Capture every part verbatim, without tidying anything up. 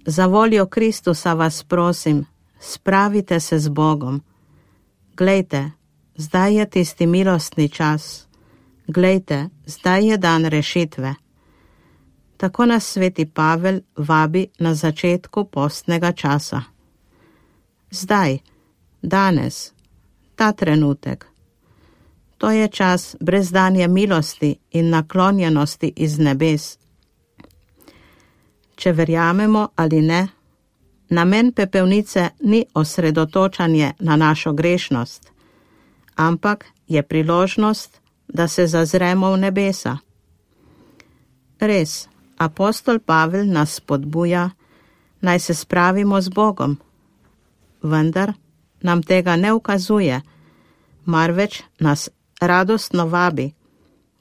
Za voljo Kristusa vas prosim, spravite se z Bogom. Glejte, zdaj je tisti milostni čas. Glejte, zdaj je dan rešitve. Tako nas sveti Pavel vabi na začetku postnega časa. Zdaj, danes, ta trenutek. To je čas brezdanje milosti in naklonjenosti iz nebes. Če verjamemo ali ne, namen pepelnice ni osredotočanje na našo grešnost, ampak je priložnost, da se zazremo v nebesa. Res, apostol Pavel nas spodbuja, naj se spravimo z Bogom, vendar nam tega ne ukazuje, marveč nas radostno vabi,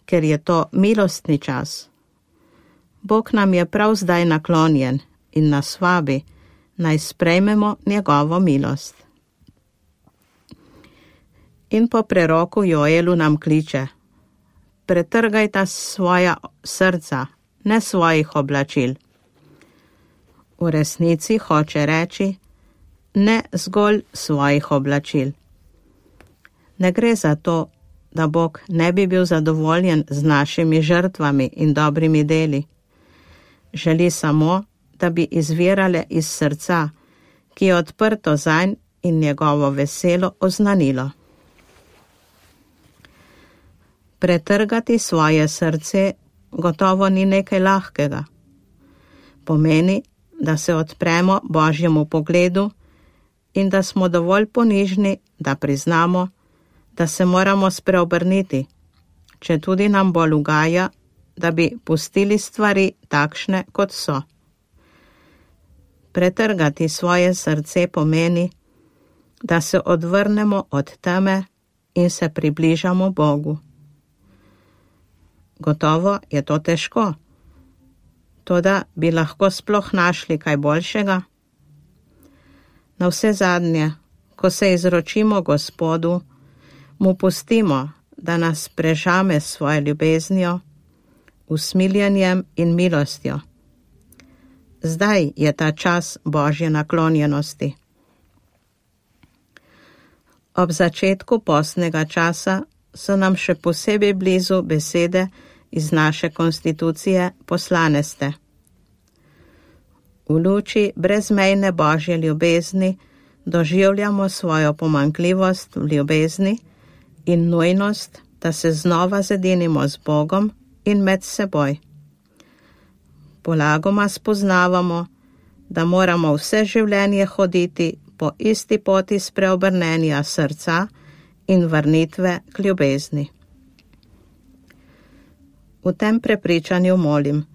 ker je to milostni čas. Bog nam je prav zdaj naklonjen in nas vabi, naj sprejmemo njegovo milost. In po preroku Joelu nam kliče: pretrgajta svoja srca, ne svojih oblačil. V resnici hoče reči, ne zgolj svojih oblačil. Ne gre za to, da Bog ne bi bil zadovoljen z našimi žrtvami in dobrimi deli. Želi samo, da bi izvirale iz srca, ki je odprto zanj in njegovo veselo oznanilo. Pretrgati svoje srce gotovo ni nekaj lahkega. Pomeni, da se odpremo Božjemu pogledu in da smo dovolj ponižni, da priznamo, da se moramo spreobrniti, če tudi nam bolj ugaja, da bi pustili stvari takšne, kot so. Pretrgati svoje srce pomeni, da se odvrnemo od teme in se približamo Bogu. Gotovo je to težko, toda bi lahko sploh našli kaj boljšega. Navsezadnje, ko se izročimo Gospodu, mu pustimo, da nas prežame s svojo ljubeznijo, usmiljenjem in milostjo. Zdaj je ta čas Božje naklonjenosti. Ob začetku postnega časa so nam še posebej blizu besede iz naše konstitucije poslane ste. V luči brezmejne Božje ljubezni doživljamo svojo pomanjkljivost v ljubezni in nujnost, da se znova zedinimo z Bogom in med seboj. Polagoma spoznavamo, da moramo vse življenje hoditi po isti poti spreobrnenja srca in vrnitve k ljubezni. V tem prepričanju molim: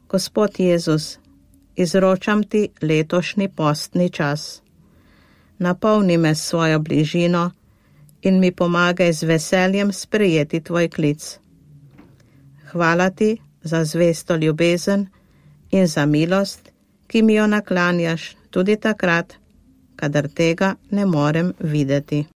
Gospod Jezus, izročam ti letošnji postni čas. Napolni me s svojo bližino in mi pomagaj z veseljem sprejeti tvoj klic. Hvala ti za zvesto ljubezen in za milost, ki mi jo naklanjaš tudi takrat, kadar tega ne morem videti.